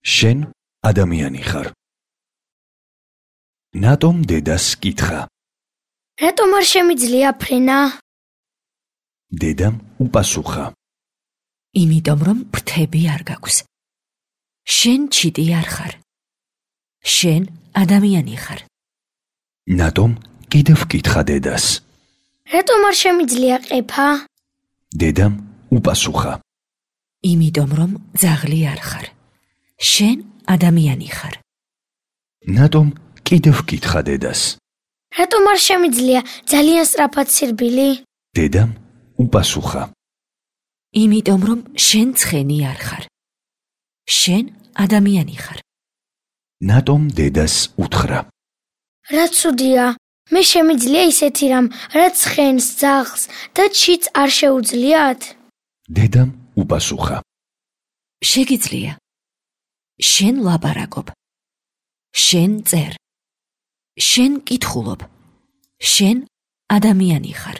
შენ ადამიანი ხარ. ნატომ დედას კითხა. რატომ არ შემიძლია ფრენა? დედამ უპასუხა. იმიტომ რომ ფრთები არ გაქვს. შენ ჩიტი არ ხარ. შენ ადამიანი ხარ. ნატომ კიდევ კითხა დედას. რატომ არ შემიძლია ყეფა? დედამ უპასუხა. იმიტომ რომ ძაღლი არ ხარ. შენ ადამიანი ხარ. ნატომ კიდევ კითხა დედას. რატომ არ შემიძლია ძალიან სწრაფად სირბილი? დედამ უპასუხა. იმიტომ რომ შენ ცხენი არ ხარ. შენ ადამიანი ხარ. ნატომ დედას უთხრა. რა ცუდია, მე შემიძლია ისეთი რამ, რაც ცხენს, ძაღლს და ჩიტს არ შეუძლიათ? დედამ უპასუხა. შეგიძლია. შენ ლაპარაკობ. შენ წერ. შენ კითხულობ. შენ ადამიანი ხარ.